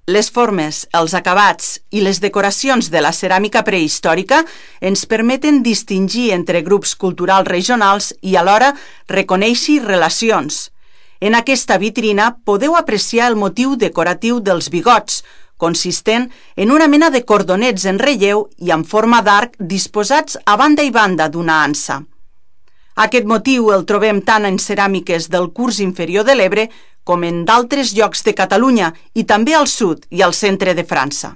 Les formes, els acabats i les decoracions de la ceràmica prehistòrica ens permeten distingir entre grups culturals regionals i alhora reconèixer relacions. En aquesta vitrina podeu apreciar el motiu decoratiu dels bigots, consistent en una mena de cordonets en relleu i en forma d'arc disposats a banda i banda d'una ansa. Aquest motiu el trobem tant en ceràmiques del curs inferior de l'Ebre com en d'altres llocs de Catalunya i també al sud i al centre de França.